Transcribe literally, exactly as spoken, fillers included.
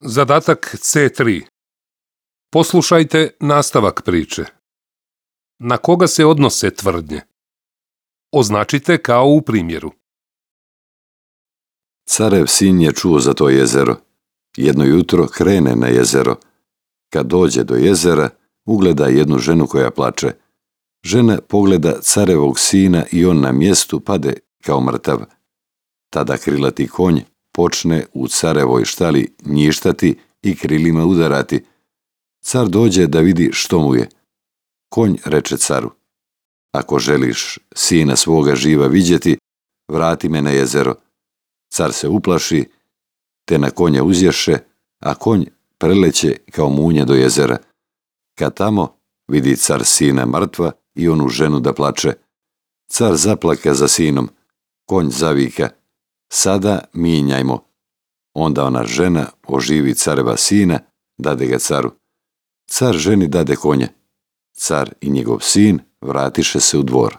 Zadatak C tri. Poslušajte nastavak priče. Na koga se odnose tvrdnje? Označite kao u primjeru. Carev sin je čuo za to jezero. Jedno jutro krene na jezero. Kad dođe do jezera, ugleda jednu ženu koja plače. Žena pogleda carevog sina i on na mjestu pade kao mrtav. Tada krilati konj počne u carevoj štali njištati i krilima udarati. Car dođe da vidi što mu je. Konj reče caru: ako želiš sina svoga živa vidjeti, vrati me na jezero. Car se uplaši, te na konja uzješe, a konj preleće kao munje do jezera. Kad tamo vidi car sina mrtva i onu ženu da plače. Car zaplaka za sinom, konj zavika: sada minjajmo. Onda ona žena oživi careva sina, dade ga caru. Car ženi dade konja. Car i njegov sin vratiše se u dvor.